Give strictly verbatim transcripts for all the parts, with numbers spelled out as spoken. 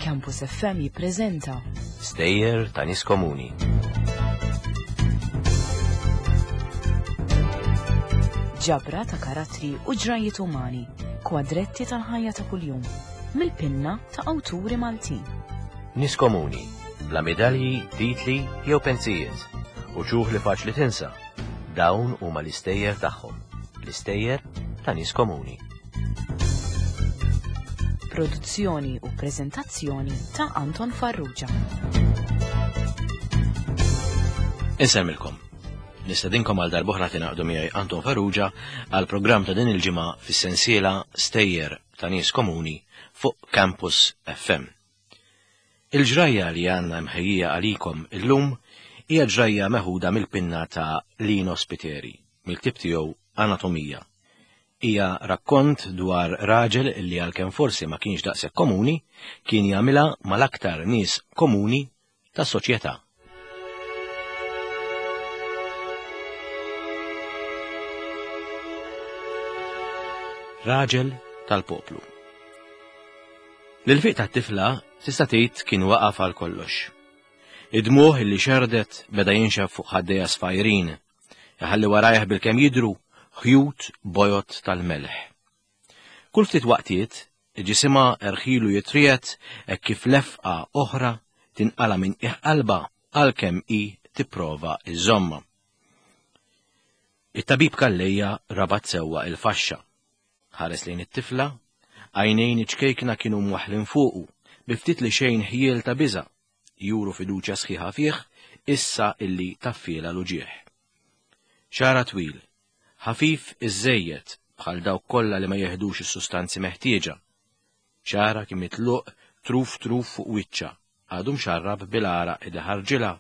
Campus F M jippreżenta Stejjer ta' nies komuni. Ġabra ta' karattri u ġrajiet umani, kwadretti tal-ħajja ta' kuljum, mill-pinna ta' awturi Maltin. Nies komuni, bla medalji, titli jew pensijiet, u ċuħ li faċli tinsa. Dawn huma l-istejjer tagħhom, l-istejjer ta' nies komuni. Produzzjoni u preżentazzjoni ta' Anton Farrugia. Insemmilkom. Nistedinkom għal darb'oħra tingħaqdu miegħi Anton Farrugia għal programm ta' din il-ġimgħa fis-sensiela Stejjer ta' Nies Komuni fuq Campus F M. Il-ġrajja li għandna mħejjija għalikom illum hija ġrajja meħuda mill-pinna ta' Lino Spiteri, mill-ktieb tiegħu Anatomija. Hija rakkont dwar raġel li għalkemm forsi ma kienx daqshekk komuni, kien jagħmilha mal-aktar nies komuni tas-soċjetà. Raġel tal-poplu. L-ilfiq tat-tifla tista' tgħid kien waqaf għal kollox. Id-dmuħ li xerdet beda jinxef fuq ħaddejja sfajrin, iħalli warajh bilkemm jidhru ħjut bojot tal-melħ. Kull ftit waqtiet, ġisimha erħilu jitriet hekk kif lefqa oħra tinqala minn qiegħ qalbha għalkemm hi tipprova iżomma. It-tabib Calleja rabat sewwa il-faxxa. Ħares lejn it-tifla, għajnejn iċ-ċkejkna kienu mwaħħlin fuqu, bi ftit li xejn ħjiel ta' biża', juru fiduċja sħiħa fih, issa illi taffiela l-uġieħ. Xara twil, ħafif iżżejjed bħal dawk kollha li ma jeħdux is-sustanzi meħtieġa. Xara kien mitluq truf truf fuq wiċċha, għadu mxarrab bil-għaraq li ħarġilha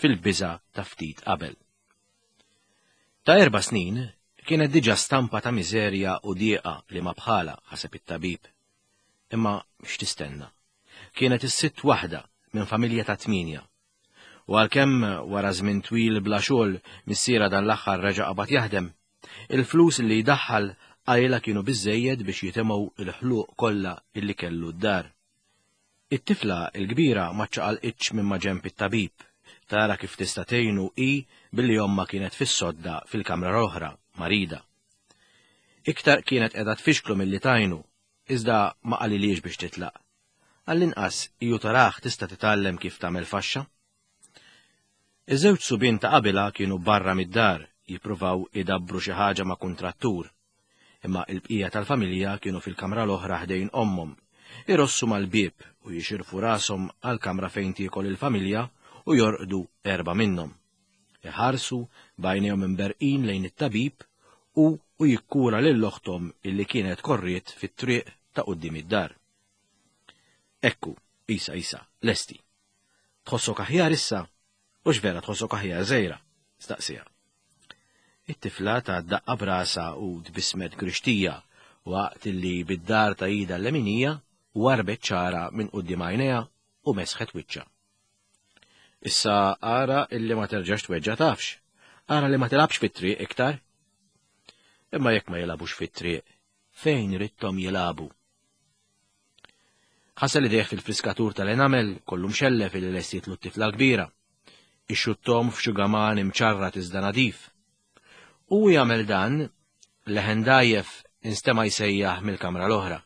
fil-biża' ta' ftit qabel. Ta' erba' snin kienet diġà stampa ta' miżerja u dieqa li ma bħala, ħaseb it-tabib. Imma x'tistenna? Kienet is-sitt waħda minn familja ta' tminja. U għalkemm wara żmien twil bla xogħol missiera dan l-aħħar reġa' qabad jaħdem, il-flus li jdaħħal qajla kienu biżżejjed biex jitimgħu l-ħluq kollha illi kellu d-dar. It-tifla l-kbira ma ċċaqalqitx minn ma ġenb it-tabib, tara kif tista' tgħinu hi billi ommha kienet fis-sodda fil-kamra l-oħra, marida. Iktar kienet qiegħda tfixklu milli tajnu, iżda ma qalilhiex biex titlaq. Għall-inqas iju taraħ tista' titgħallem kif tagħmel faxxa. Iż-żewġ subien ta' qabilha kienu barra mid-dar jippruvaw idabbru xi ħaġa ma' kuntrattur, imma l-bqija tal-familja kienu fil-kamra l-oħra ħdejn ommhom, irossu mal-bieb u jixirfu rashom għall-kamra fejn tiekol il-familja u jorqdu erba' minnhom. Iħarsu b'għajnejhom imberqin lejn it-tabib u, u jikkura lil oħthom illi kienet korriet fit-triq ta' quddiem id-dar. Ekku, isa, isa, lesti. Tħossok aħjar issa? U x'vera tħossok aħjar żejra? Staqsija. It-tifla ta' daqqa brasa u tbismet grixtija waqt illi bid-dar ta' ida l-leminija warbet ċara minn quddiem għajnejha u mesħet wiċċha. Issa ara illi ma terġax tweġġa' tafx, ara li ma tilgħabx fit-triq iktar. Imma jekk ma jilagħbux fit-triq, fejn ridthom jilagħbu? Ħasel idejh fil-friskatur tal-enamel kollu mxellef illi lestietlu t-tifla l-kbira. Ixxuttom f'xugaman imċarrat iżda nadif. U jagħmel dan, leħen dajjef instema' jsejjaħ mill-kamra l-oħra.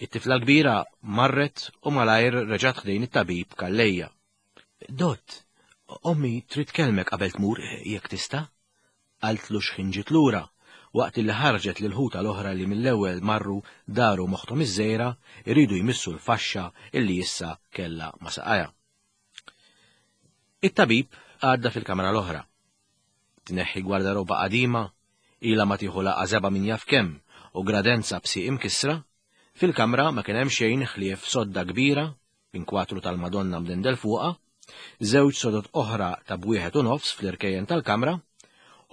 It-tifla kbira marret u malajr reġgħet ħdejn it-tabib Calleja. Dott, ommi trid tkellmek qabel tmur jekk tista'? Qaltlu x'ħin ġiet lura, waqt li ħarġet lil ħuta l-oħra li mill-ewwel marru daru moħħhom iż-żejra iridu jmissu l-faxxa illi issa kellha ma' saqajha. It-tabib għadda fil-kamra l-oħra. Tneħħi gwardaroba qadima, ilha ma tieħu laqgħa żebgħa min jaf kemm u gradenza b'sieq imkissra, fil-kamra ma kien hemm xejn ħlief sodda kbira minn kwatru tal-Madonna mdendel fuqha, żewġ sodod oħra ta' bwieħed u nofs fl-irkejjen tal-kamra,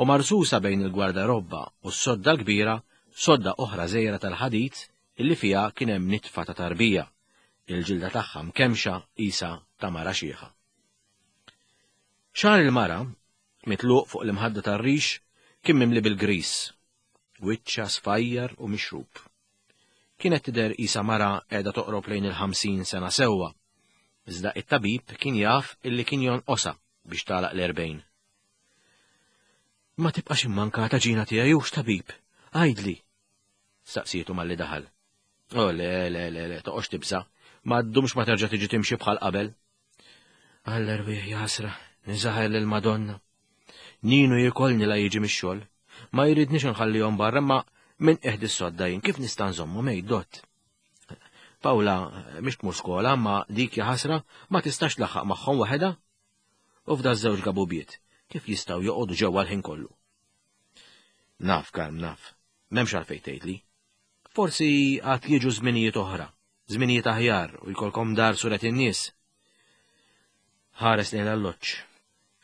u marsusa bejn il-gwardarobba u s-sodda l-kbira sodda oħra żgħira tal-ħadid illi fiha kien hemm nitfa ta' tarbija, il-ġilda tagħha mkemxa qisha ta' mara xieħa. Xagħar il-mara, mitluq fuq l-imħadda tar-rix, kien mimli bil-gris. Wiċċha sfajjar u mixrub. Kienet tidher qisha mara qiegħda toqrob lejn il-ħamsin sena sewwa. Iżda it-tabib kien jaf illi kien jonqosha biex tagħlaq l-erbgħin. Ma tibqax immankata Ġina tiegħi hux tabib, għidli, staqsietu malli daħal. Oh le, le, le, le, toqgħodx tibża', ma ddumx ma terġa' tiġi timxi bħal qabel. Għall-erwieħ jasra, niżaħel lill-Madonna. Ninu jikolni la jiġi mix-xogħol. Ma jridniex nħallihom barra, ma minn qiegħed is-sodda jien kif nista' nżommu mejt dott. Pawla mhix tmur skola, ma dik ħasra ma tistax tlaħħaq magħhom waħedha. U f'da żewġ gabubiet, kif jistgħu joqogħdu ġewwa l-ħin kollu? Naf, Karm, naf. M'hemmx għalfejn tgħidli. Forsi għad jiġu żminijiet oħra, żminijiet aħjar u jkollkom dar suret in-nies. Ħares lejn l-alloġġ.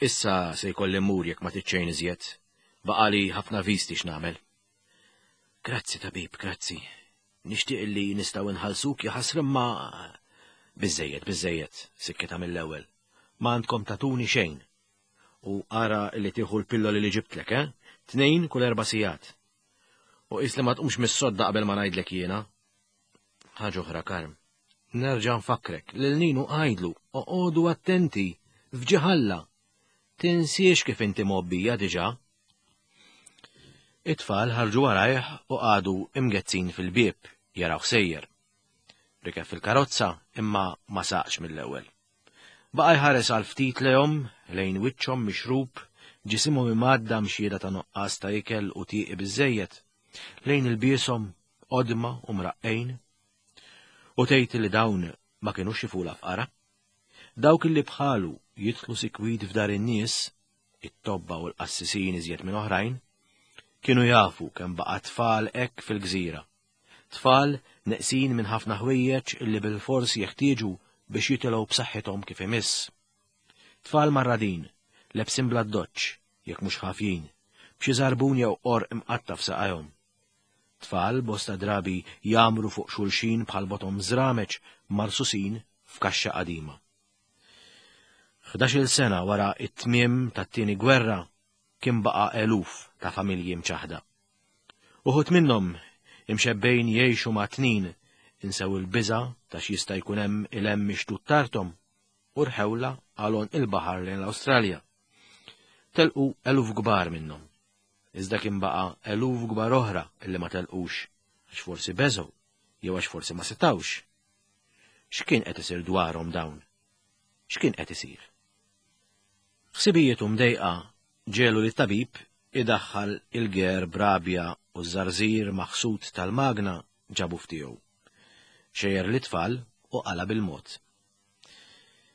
Issa se jkolli mmur jekk ma tiċċejn iżjed. Baqali ħafna visti x'nagħmel. Grazzi tabib, grazzi. Nixtieq li nistgħu nħallsuk jaħasra ma biżejjed, biżejjed, sikkita mill-ewwel. Ma għandkom tatuni xejn. U ara li tieħu l-pilloli li ġibtlek, eh? Tnejn kull erba' sigħat. U qis li ma tqumx mis-sodda qabel ma ngħidlek jiena. Ħaġa oħra, Karm. Nerġa' nfakkrek lil Ninu għidlu, oqogħdu attenti, f'ġiħalla. Tinsiex kif inti mgħobbija diġà. It-tfal ħarġu warajh u qagħdu imgezzin fil-bieb jaraw sejjer. Rikeb fil-karozza imma ma saqx mill-ewwel. Baqa' jħares għal ftit lejhom lejn wiċċhom mixrub, ġisimhom imgħadda mxieda ta' nuqqas ta' ikel u tieqi biżejjed, lejn il-bieshom qodma u mraqqejn. U tgħid li dawn ma kinux xifula fqara. Dawk li bħalu jidħlu sikwit f'dar in-nies, it-tobba u l-qassisin iżjed minn oħrajn, kienu jafu kemm baqa' tfal hekk fil-gżira. Tfal neqsin minn ħafna ħwejjeġ illi bil-fors jeħtieġu biex jitilgħu b'saħħithom kif imiss. Tfal marradin, lebsin bla doċċ, jekk mhux ħafjin, b'xi żarbun jew qorq imqatta' f'saqajhom. Tfal bosta drabi jagħmru fuq xulxin bħal botom żrameċ marsusin f'kaxxa qadima. Ħdax-il sena wara it-tmiem tat-tieni gwerra kien baqa' eluf ta' familji mċaħda. Uħud minnhom imxebbejn jgħixu ma' tnin insew il-biża' ta' x'jista' jkun hemm il-hemm mixtut tarthom u rħewla għal il-baħar lejn l-Awstralja. Telqu eluf kbar minnhom. Iżda kien baqa' eluf kbar oħra illi ma telqux għax forsi beżgħu jew għax forsi ma setgħux. X'kien qed isir dwarhom dawn? X'kien qed isir? Ħsibijietu mdejqa ġelu li tabib idaħħal il-ger brabja u ż-żarżir maħsud tal-magna ġabu ftiegħu. Xejjer l-itfal u qala bil-mod.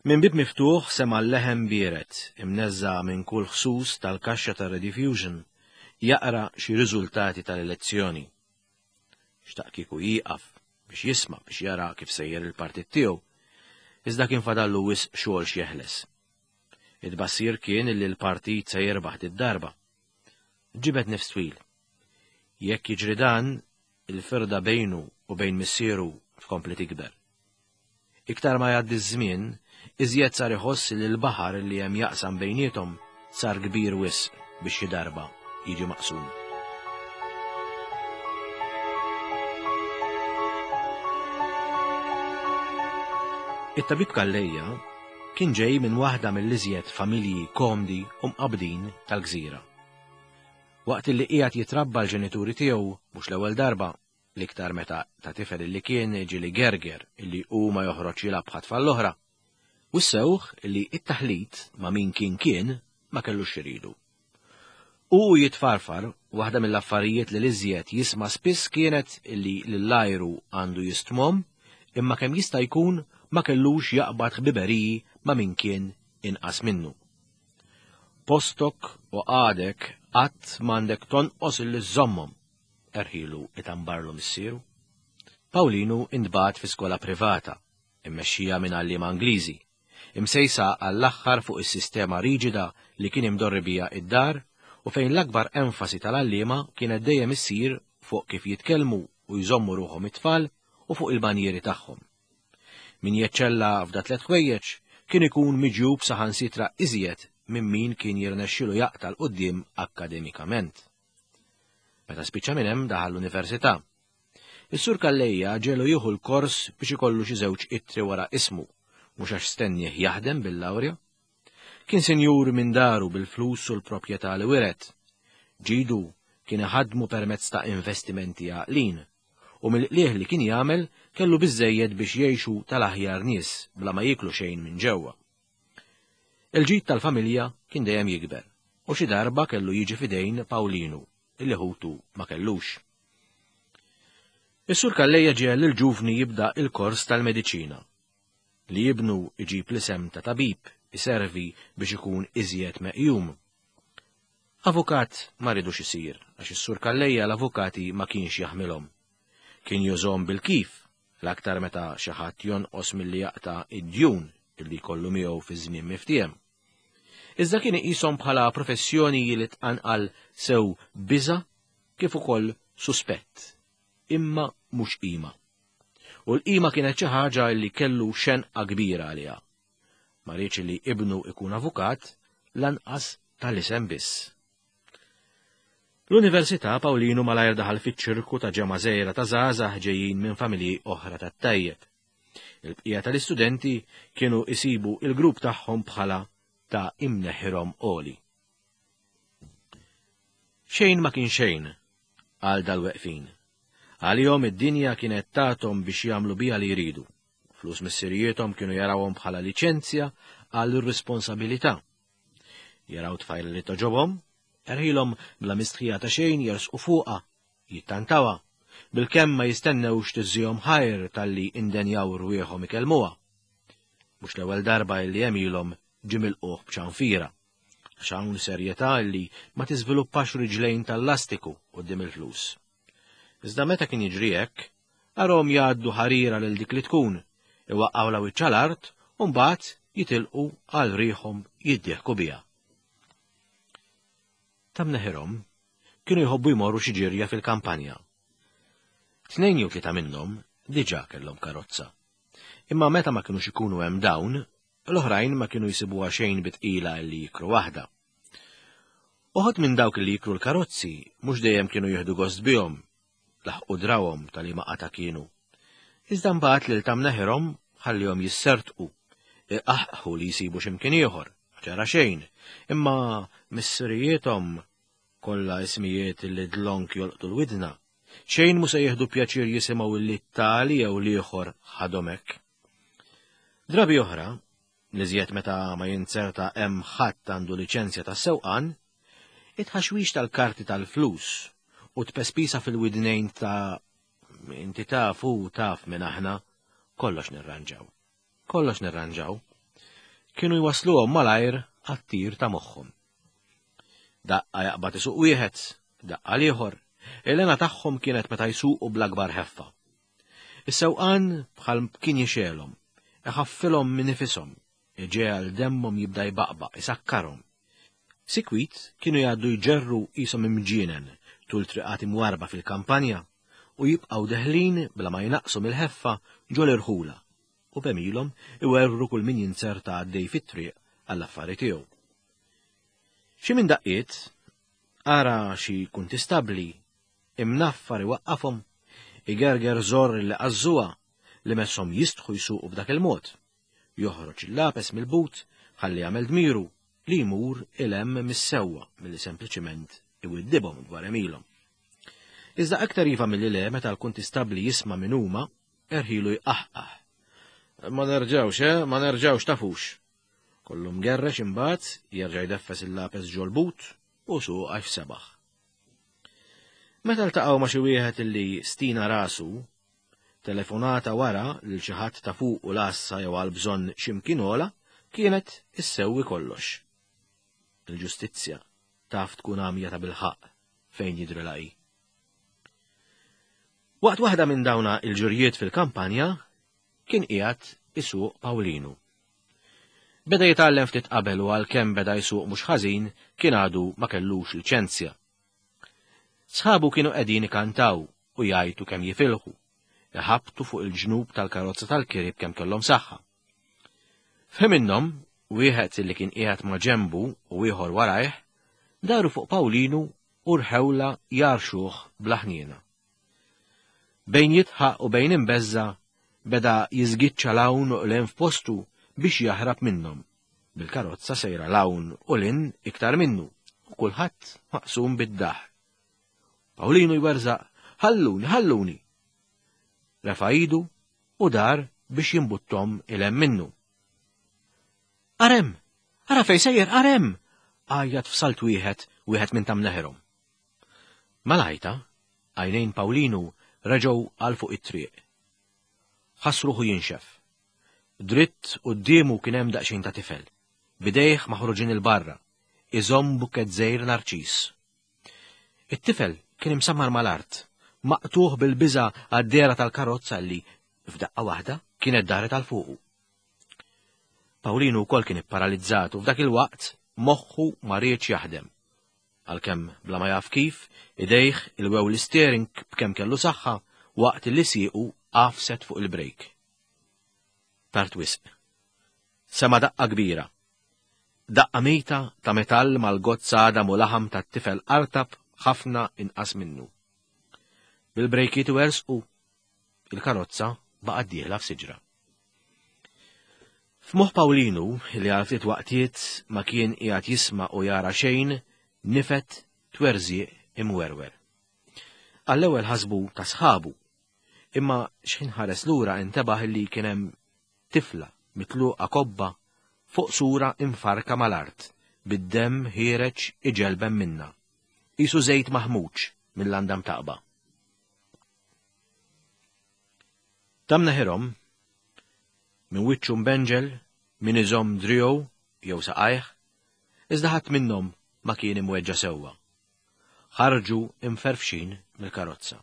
Minn bib miftuħ sema l-leħen biered imneżża minn kull ħsus tal-kaxxa tar-rediffusion jaqra xi riżultati tal-elezzjoni. Xtaq kieku jieqaf biex jisma' biex jara kif sejjer il-partit tiegħu, iżda kien fadallu wisq xogħol x'jeħles. It-bassir kien li l-partit se jirbaħ id-darba. Ġibed nifs twil. Jekk jiġri dan, il-firda bejnu u bejn missieru tkompli tikber. Iktar ma jgħaddi ż-żmien, iżjed sar iħoss li l-baħar li hemm jaqsam bejniethom sar kbir wisq biex xi darba jiġi maqsum. It-tabib Calleja kien ġej minn waħda mill-iżjed familji komdi u mqabdin tal-gżira. Waqt li qiegħed jitrabba l-ġenituri tiegħu mhux l-ewwel darba, l-iktar meta ta' tifel illi kien ġieli gerger illi hu ma joħroġ jilgħab bħat-tfal l-oħra, u ssewħ illi it-taħlit ma' min kien kien ma kellux xiridu. U jitfarfar, waħda mill-affarijiet li l-iżjed jisma' spiss kienet illi l-lajru għandu jistmom, imma kemm jista' jkun ma kellux jaqbad ħbiberiji ma' min kien inqas minnu. Postok u għadek qatt m'għandek tonqos illi żommhom, erħilu itambarlu missieru. Pawlinu intbagħat fi skola privata, immexxija minn għalliema Ingliżi, imsejsa għall-aħħar fuq is-sistema riġida li kien imdorri bija id-dar u fejn l-akbar enfasi tal-għalliema kienet dejjem issir fuq kif jitkellmu u jżommu ruħhom it-tfal u fuq il-banjieri tagħhom. Min jeċċella f'da tliet ħwejjeġ kien ikun miġjub saħansitra iżjed minn min kien jirnexxilu jaqta' l quddiem akkademikament. Meta spiċċa minn hemm daħal l-università. Is-Sur Calleja ġelu jieħu l-kors biex ikollu xi żewġ ittri wara ismu, mhux għax stennieh jaħdem bil-lawrja. Kien sinjur minn daru bil-flus u l-proprjetà li wiret. Ġidu kien iħaddmu permezz ta' investimenti għaqlin, u mill-qliegħ li kien jagħmel kellu biżejjed biex jgħixu tal-aħjar nies bla ma jieklu xejn minn ġewwa. Il-ġid tal-familja kien dejjem jikber, u xi darba kellu jiġi fidejn Pawlinu, illi ħutu ma kellux. Is-Sur Calleja ġiegħel lill-ġuvni jibda il-kors tal-mediċina. Li ibnu iġib l-isem ta' tabib iservi biex ikun iżjed meqjum. Avukat ma ridux isir, għax is-Sur Calleja l-avukati ma kienx jaħmilhom. Kien jużhom bil-kif, l-aktar meta xi ħadd jonqos milli jaqta' id-djun illi jkollu miegħu fi żmien miftiem. Iżda kien iqishom bħala professjoni li tqanqal sew biża' kif ukoll suspett, imma mhux qima. U l-qima kienet xi ħaġa li kellu xenqa kbira għaliha. Ma riedx li ibnu ikun avukat lanqas tal-isem biss. L-Università Pawlinu malajr daħal fiċ-ċirku ta' ġemgħa żgħira ta' żgħażagħ ġejjin minn familji oħra tat-tajjeb. Il-bqija tal-istudenti kienu isibu il-grupp tagħhom bħala ta' imneħirhom għoli. Xejn ma kien xejn għal dal-weqfin. Għalihom id-dinja kienet tagħthom biex jagħmlu biha li jridu. Flus missirijiethom kienu jarawhom bħala liċenzja għal irresponsabilità. Jaraw tfajla li toġobhom, erħilhom bla mistħija ta' xejn jersqu fuqha, jittantawha, bilkemm ma jistennewx tiżżihom ħajr talli indenjaw rwieħhom ikellmuha. Mhux l-ewwel darba li għemilhom ġie milquh b'ċanfira, għax hawn serjetà li ma tiżviluppax riġlejn tal-lastiku quddiem il-flus. Iżda meta kien jiġri hekk, arhom jgħaddu ħarira lil dik li tkun, iwaqqgħu wiċċ l-art u mbagħad jitilqu għal riħhom jiddieħku biha. Ta' mneħirhom kienu jħobbu jmorru xi ġirja fil-kampanja. Tnejn jew tlieta minnhom diġà kellhom karozza. Imma meta ma kinux ikunu hemm dawn, l-oħrajn ma kienu jsibuha xejn bitqila li jikru waħda. Uħud minn dawk li jikru l-karozzi mhux dejjem kienu jieħdu gost bihom, laħqu drawhom tal-li qata kienu. Iżda mbagħad lil ta' mneħirhom ħallihom jissertqu, iqaħqħu li jsibu x'imkien ieħor, ġara xejn, imma missirijiethom kollha ismijiet li dlonk jolqtu l-widna, xejn mhu se jieħdu pjaċir jisimgħu li t-tali jew l-ieħor ħadhom hekk. Drabi oħra, li żjed meta ma jinzerta hemm ħadd għandu liċenzja tas-sewqan, it-ħaxwix tal-karti tal-flus u tpespisa fil-widnejn ta' inti taf u taf minn aħna, kollox nirranġaw. Kollox nirranġaw. Kienu jwasluhom malajr għat-tir ta' moħħhom. Daqqa jaqbad isuq wieħed, daqqa l-ieħor, il-hena tagħhom kienet meta jsuqu bl-akbar ħeffa. Is-sewqan bħal kien jixelhom, iħaffilhom minn nifishom, iġegħel demmhom jibda jbaqbaq, isakkarhom. Sikwit kienu jgħaddu jġerru qishom imġienen tul triqat imwarba fil-kampanja u jibqgħu deħlin bla ma jnaqsu mill-ħeffa ġol irħula u b'għemilhom iwerwru kull min jinzerta għaddej fit-triq għall-affari tiegħu. Xi minn daqqiet ara xi kuntistabbli imnaffar iwaqqafhom, igerger żor li qażżuha li messhom jistħu jsuqu b'dak il-mod. Joħroġ il-lapes mill-but ħalli jagħmel dmiru li jmur il-hemm mis-sewwa milli sempliċiment iwiddibhom dwar għemilhom. Iżda aktar iva milli le meta l-kuntistabbli jisma' min huma, erħilu jqaħqaħ. Ma nerġgħux, eh, ma nerġgħux tafux. Kollu mgerrex imbagħad jerġa' jdeffes il-lapes ġol-but u suq għax sebaħ. Meta ltaqgħu ma' xi wieħed illi stina rasu, telefonata wara lil xi ħadd ta' fuq u l-għassa jew għal bżonn x'imkien ogħla kienet issewwi kollox. Il-ġustizzja taf tkun għamja ta' bilħaqq fejn jidhrilha hi. Waqt waħda minn dawna il-ġurjiet fil-kampanja kien qiegħed isuq Pawlinu. Beda jitgħallem ftit qabel u għalkemm beda jsuq mhux ħażin kien għadu ma kellux liċenzja. Sħabu kienu qegħdin ikantaw u jgħajtu kemm jifilħu, iħabtu fuq il-ġnub tal-karozza tal-kirib kemm kellhom saħħa. F'ħin minnhom, wieħed li kien qiegħed ma' ġenbu u ieħor warajh, daru fuq Pawlinu u rħewla jarxuh bla ħniena. Bejn jitħaq u bejn imbeżza beda jiżgiċċa l-hawn u l f'postu biex jaħrab minnhom. Bil-karozza sejra l-hawn u l-in iktar minnu u kulħadd maqsum bid-daħ. Pawlinu jwerżaq, ħalluni, ħalluni. Refa' idu u dar biex jimbuttom ilem minnu. Arem, ara fej sejjer, arem! Għajjat f'salt wieħed, wieħed minn tam neħerhom. Malajta, għajnejn Pawlinu reġgħu għal fuq it-triq. Ħass ruħu jinxef. Dritt quddiemu kien hemm daqsxejn ta' tifel, bidejh maħruġin il-barra, iżomm bukket żgħir narċis. It-tifel kien imsammar mal-art, maqtuħ bil-biża għad-dehra tal-karozza li, f'daqqa waħda, kienet daret għal fuqu. Pawlinu wkoll kien ipparalizzat u f'dak il-waqt moħħu ma riedx jaħdem. Għalkemm bla ma jaf kif, idejh ilwew l-steering b'kemm kellu saħħa waqt li siequ għafset fuq il-brejk. Tard wisq. Sema daqqa kbira. Daqqa mejta ta' metall mal-gozz għadam u laħam tat-tifel artab ħafna inqas minnu. Bil-brejkiet wersqu, il-karozza baqgħet dieħla f'siġra. F'moħħ Pawlinu, li għal ftit waqtiet ma kien qiegħed jisma' u jara xejn, nifet twerżieq imwerwer. Għall-ewwel ħasbu ta' sħabu, imma x'ħin ħares lura intebaħ li kien hemm tifla mitluqa kobba fuq sura imfarka mal-art, bid-demm ħiereġ iġelbem minna. Isu żejt maħmuġ mill-landam taqba. Tam neħirhom, minn wiċċu mbenġel, min iżomm driegħu jew saqajh, iżda ħadd minnhom ma kien imweġġa' sewwa. Ħarġu imferfxin mill-karozza.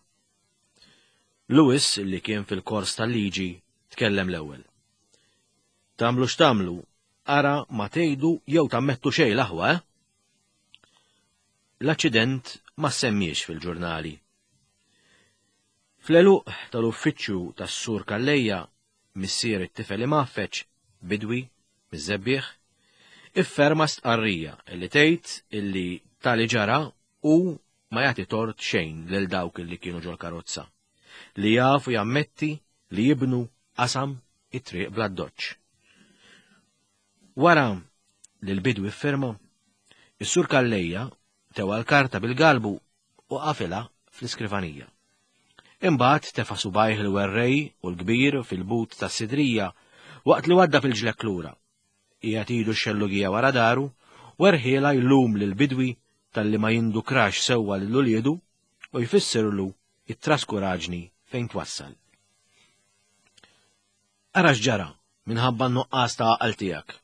Lewis, li kien fil-kors tal-liġi, tkellem l-ewwel. Tagħmlu x'tagħmlu, ara ma tgħidu jew tammettu xejn l-aħwa, eh? L-aċċident ma semmiex fil-ġurnali. Fl-għeluq tal-uffiċċju tas-Sur Calleja, missier it-tifel imgħaffeġ, bidwi, miż-żebbieħ, ifferma stqarrija li tgħid illi tali ġara u ma jagħti tort xejn lil dawk illi kienu ġol-karozza, li jafu jammetti li jibnu qasam it-triq bla doċċ. Wara li l-bidwi ffirma, is-Sur Calleja tewa l-karta bil-galbu u qafilha fl-iskrivanija. Imbagħad tefa' subajh il-werrej u l-kbir fil-but tas-sidrija waqt li wadda fil-ġlek lura. Qiegħed idu x-xellugija wara daru, werħiela jlum lil-bidwi talli ma jindukrax sewwa lil uliedu u jfissirlu it-traskuraġni fejn twassal. Ara x'ġara minħabba n-nuqqas ta' għaqal tiegħek.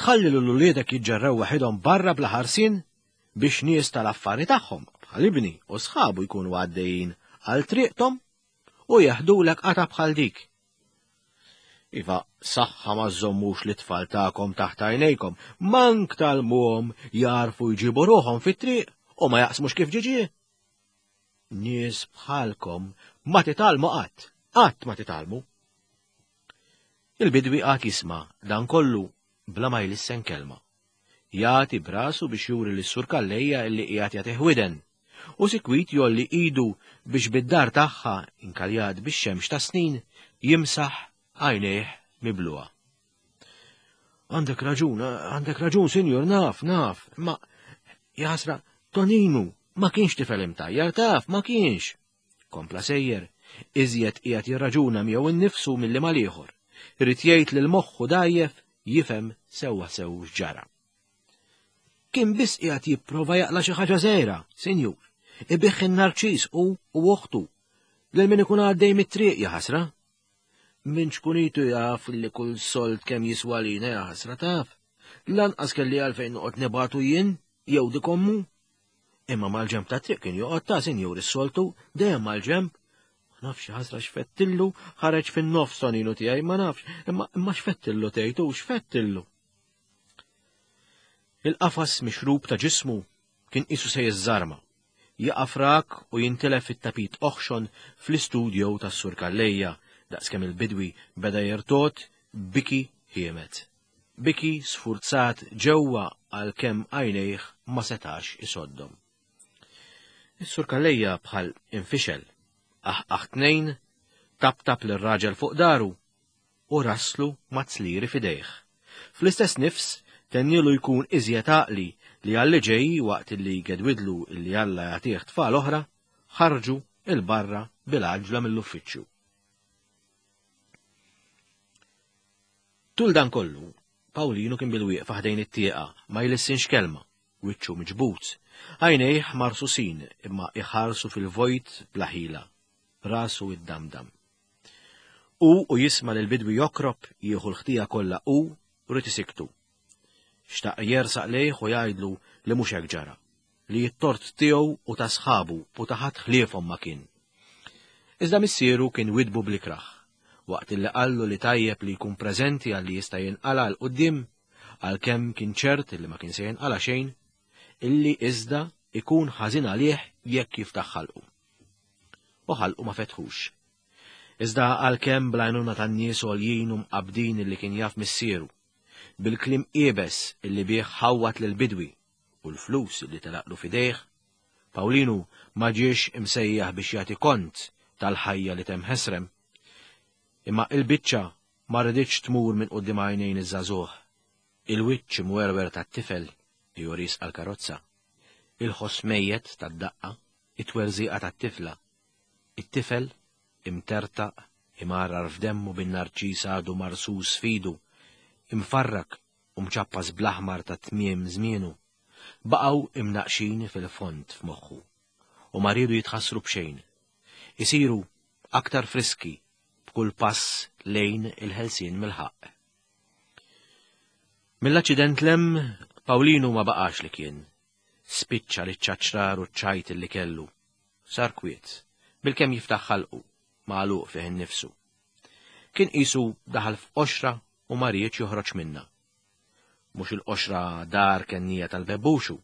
Tħalli lil uliedek jiġġerrew waħedhom barra bla ħarsien biex nies tal-affari tagħhom bħal ibni u sħabu jkunu għaddejjin għal triqthom u jeħdulek qata bħal dik. Iva, saħħa ma żommux l-itfal tagħkom taħt għajnejkom, mank talmuhom jarfu jġibu ruħhom fit-triq u ma jaqsmux kif ġiġi. Nies bħalkom ma titgħallmu qatt, qatt ma titgħallmu. Il-bidwi qagħad jisma' dan kollu bla ma jlissen kelma. Jagħti brasu biex juri lis-Sur Calleja illi qiegħed jagħtih widen, u sikwit jolli idu biex bid-dar tagħha inkaljat bix-xemx ta' snin jimsaħ għajnejh mibluha. Għandek raġun, għandek raġun, sinjur, naf, naf, ma jaħasra, Toninu ma kienx tifel imtajjar, taf, ma kienx. Kompla sejjer, iżjed qiegħed jirraġuna miegħu innifsu milli mal-ieħor. Irid jgħid lil moħħu dajjef jifhem sewwa sew x'ġara. Kien biss qiegħed jipprova jaqla' xi ħaġa żgħira, sinjur, ibiħ in-narċis u u oħtu lil min ikun għaddej mit-triq jaħasra. Min ċkunitu jaf li kull sold kemm jiswa lina jaħasra taf. Lanqas kelli għalfejn noqgħod nibatu jien jew dik ommu. Imma mal-ġemp ta' triq kien joqgħod ta' sinjur is-soltu dejjem mal-ġemp. Ma nafx ħasra x'fettillu, ħareġ fin-nofs Toninu tiegħi ma nafx, imma imma x'fettillu tgħidu x'fettillu. Il-qafas mixrub ta' ġismu kien qisu se jiżżarma, jaqa' frak u jintilef fit-tapit oħxon fl-istudjo tas-Sur Calleja daqskemm il-bidwi beda jirtot biki ħiemet. Biki sfurzat ġewwa għalkemm għajnejh ma setax isoddhom. Is-Sur Calleja bħal infixel, aħ tnejn, tap-tap lir-raġel fuq daru u raslu mazzliri fidejh. Fl-istess nifs tennilu jkun iżjed għaqli li għalli ġej waqt li gedwidlu illi Alla jagħtih tfal oħra, ħarġu il-barra bil-għaġla mill-uffiċċju. Tul dan kollu, Pawlinu kien bil-wieqfa ħdejn it-tieqa ma jlissinx kelma, wiċċu miġbut, għajnejh marsusin imma iħarsu fil-vojt bla ħila, rasu id-damdam. U u jisma' lil bidwi jokrob jieħu l-ħtija kollha u rrid isiktu. Xtaq jersaq lejh u jgħidlu li mhux hekk ġara, li t-tort tiegħu u ta' sħabu u ta' ħadd ħliefhom ma kien. Iżda missieru kien widbu blikraħ, waqt li qallu li tajjeb li jkun preżenti għalli jista' jinqala' 'l quddiem, għalkemm kien ċert li ma kien se jinqala' xejn, illi iżda ikun ħażin għalih jekk jiftaħ ħalqu. U ħalqu ma fetħux. Iżda għalkemm bl-għajnuna tan-nies għoljin u mqabbdin illi kien jaf missieru, bil-kliem qiebes illi bih ħawwat lill-bidwi u l-flus illi telaqlu fidejh, Pawlinu ma ġiex imsejjaħ biex jagħti kont tal-ħajja li temm ħesrem. Imma il-biċċa ma riditx tmur minn quddiem għajnejn iż-żagħżugħ. Il-wiċċ imwerwer tat-tifel li joris għall-karozza, il-ħoss mejjet tad-daqqa, it-twerżiqa tat-tifla, it-tifel imtertaq, imarrar f'demmu bin-narċis għadu marsus fidu, imfarrak u mċappas bl-aħmar ta' tmiem żmienu, baqgħu imnaqxin fil-fond f'moħħu u ma riedu jitħassru b'xejn. Isiru aktar friski b'kull pass lejn il-ħelsien mill-ħaqq. Mill-aċċident lem, Pawlinu ma baqax li kien. Spiċċa li ċaċrar u ċajt li kellu. Sar kwiet, bilkemm jiftaħ ħalqu, magħluq fih innifsu. Kien qisu daħal f'qoxra u ma riedx joħroġ minna. Mhux il-qoxra dar kennija tal-bebbuxu,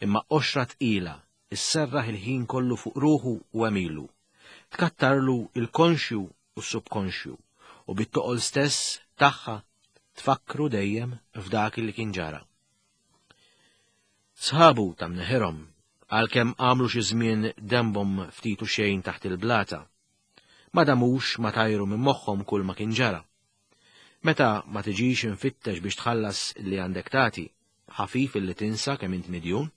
imma qoxra tqila isserraħ il-ħin kollu fuq ruħu u għemilu. Tkattarlu il-konxju u s-subkonxju u bit-toqol stess tagħha tfakkru dejjem f'dak li kien ġara. Sħabu ta' mneħirhom għalkemm għamlu xi żmien dembhom ftit u xejn taħt il-blata. Ma damux ma tajru minn moħħhom kull ma kien ġara. Meta ma tiġix infittex biex tħallas li għandek tagħti, ħafif illi tinsa kemm int midjun.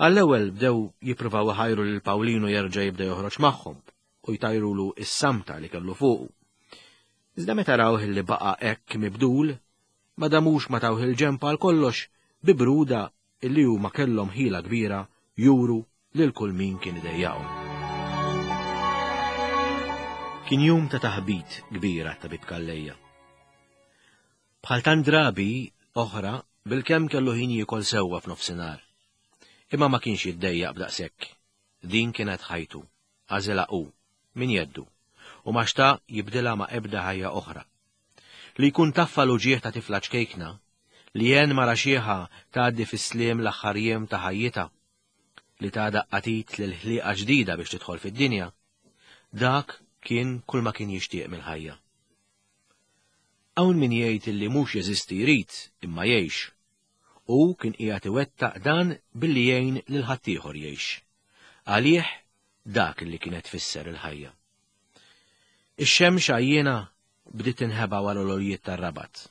Għall-ewwel bdew jippruvaw iħajru lil Pawlinu jerġa' jibda joħroġ magħhom u jtajrulu is-samta li kellu fuqu. Iżda meta rawh li baqa' hekk mibdul, ma damux ma tawh il-ġemp għal kollox bi bruda illi huma kellhom ħila kbira juru lil kull min kien idejjaqhom. Kien jum ta' taħbit kbira tabib Calleja. Bħal tant drabi oħra bilkemm kellu ħin jiekol sewwa f'nofsinhar. Imma ma kienx jiddejjaq b'daqshekk. Din kienet ħajtu, għażilha hu, min jeddu, u ma xtaq jibdilha ma' ebda ħajja oħra. Li jkun taffa l-uġieħ ta' tifla ċkejkna, li jen mara xieħa tgħaddi fis-sliem l-aħħar jiem ta' ħajjitha, li ta' daqqatit lil ħliqa ġdida biex tidħol fid-dinja, dak kien kull ma kien jixtieq mill-ħajja. Hawn min jgħid illi mhux jeżisti jrid imma jgħix. U kien qiegħed iwettaq dan billi jgħin lil ħaddieħor jgħix. Għalih dak li kienet tfisser il-ħajja. Ix-xemx għajjiena bdiet tinħeba wara l-oljiet tar-Rabat.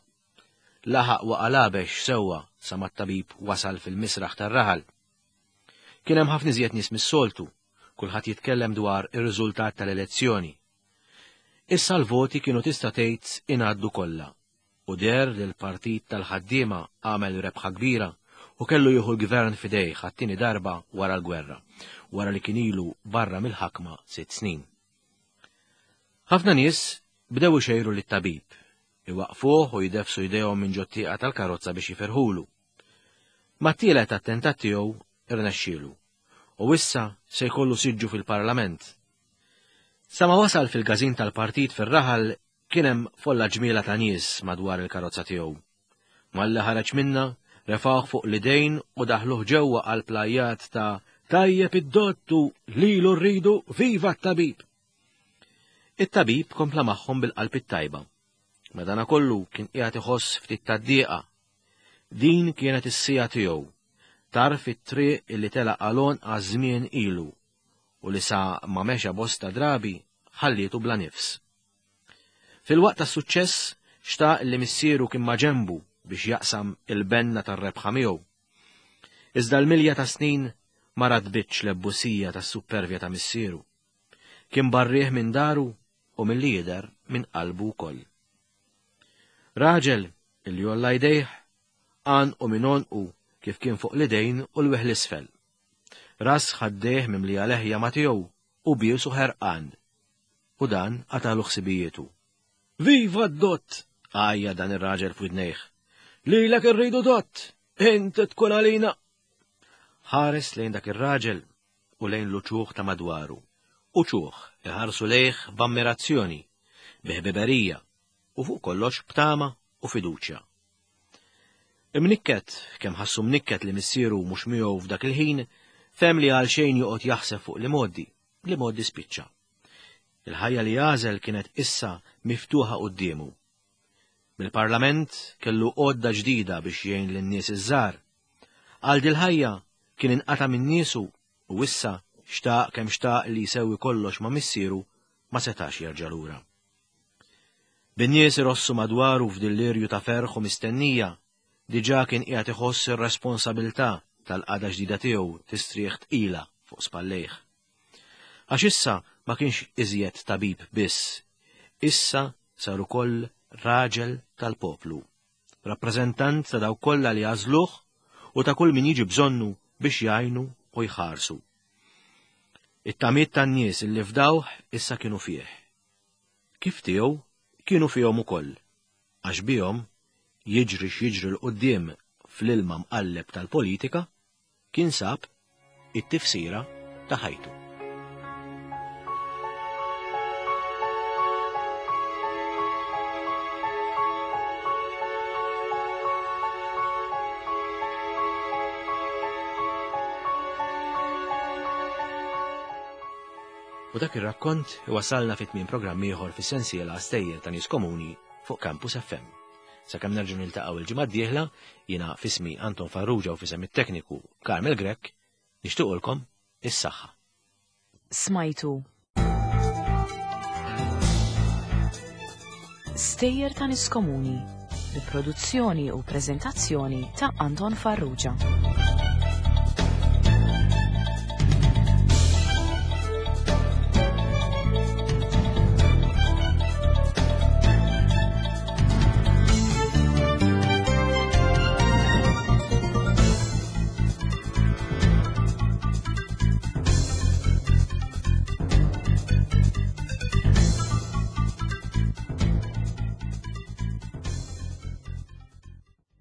Laħaq waqa' labex sewwa sa ma t-tabib wasal fil-misraħ tar-raħal. Kien hemm ħafna iżjed nies mis-soltu, kulħadd jitkellem dwar ir-riżultat tal-elezzjoni. Issa l-voti kienu tista' tgħid ingħaddu kollha. U der li l-partit tal-ħaddiema għamel rebħa kbira u kellu jieħu l-gvern f'idejh għat-tieni darba wara l-gwerra, wara li kien ilu barra mill-ħakma sitt snin. Ħafna nies bdew ixejru lit-tabib, iwaqfuh u jdefsu jdejhom minn ġot-tieqa tal-karozza biex jiferħulu. Mat-tielet attentat tiegħu irnexxielu u issa se jkollu siġġu fil-Parlament. Sa ma wasal fil-każin tal-partit fir-raħal kien hemm folla ġmiela ta' nies madwar il-karozza tiegħu. Malli ħareġ minna, refgħuh fuq l-idejn u daħluh ġewwa għal plajjat ta' tajjeb id-dottu lilu rridu viva t-tabib. It-tabib kompla magħhom bil-qalb it-tajba. Madanakollu kien qiegħed iħoss ftit tad-dieqa. Din kienet is-sija tiegħu, Tarf it-triq illi telaq għalon għaż-żmien ilu u li sa ma mexa bosta drabi ħallietu bla nifs. Fil-waqt tas-suċċess xtaq li missieru kien maġenbu biex jaqsam il-benna tar-rebħa miegħu. Iżda l-milja ta' snin ma radbitx l-ebbusija tas-supervja ta' missieru. Kien barrieh minn daru u milli jidher minn qalbu wkoll. Raġel illi jolla jdejh għan u minn għonqu kif kien fuq l-idejn u l-weħ l-isfel. Ras ħaddejh mimlija leħja ma tiegħu u biesu ħerqan. U dan qatalu ħsibijietu. Viva d-dott! Għajja dan ir-raġel f'widnejh. Lilek irridu dott! Int tkun għalina! Ħares lejn dak ir-raġel u lejn l-uċuħ ta' madwaru. Uċuħ iħarsu lejh b'ammirazzjoni, bi ħbiberija u fuq kollox b'tama u fiduċja. Imnikket, kemm ħassu mnikket li missieru mhux miegħu f'dak il-ħin, fehem li għal xejn joqgħod jaħseb fuq li modi, li modi spiċċa. Il-ħajja li għażel kienet issa miftuħa quddiemu. Mill-Parlament kellu għodda ġdida biex jgħin lin-nies iż-żgħar. Għal dil-ħajja kien inqata' minn niesu u issa xtaq kemm xtaq li jsewwi kollox ma' missieru ma setax jerġa' lura. Bin-nies irossu madwaru f'dillirju ta' ferħ u mistennija, diġà kien qiegħed iħoss ir-responsabilità tal-qagħda ġdida tiegħu tistrieħ tqila fuq spallejh. Għax issa ma kienx iżjed tabib biss, issa sar ukoll raġel tal-poplu, rappreżentant ta' dawk kollha li għażluh u ta' kull min jiġi bżonnu biex jgħinu u jħarsu. It-tamiet tan-nies illi fdawh issa kienu fih. Kif tiegħu kienu fihom ukoll, għax bihom jiġri x'jiġri 'l quddiem fl-ilma mqalleb tal-politika kien sab it-tifsira ta' ħajtu. U dak ir-rakkont iwasalna fi tmiem programm ieħor fis-sensiela Stejjer ta' Nies Komuni fuq Campus F M. Sakemm nerġgħu niltaqgħu il-ġimgħa d-dieħla, jiena f'ismi Anton Farrugia u f'isem it-tekniku Carmel Grech, nixtiequlkom is-saħħa. Smajtu Stejjer ta' Nies Komuni bi produzzjoni u preżentazzjoni ta' Anton Farrugia.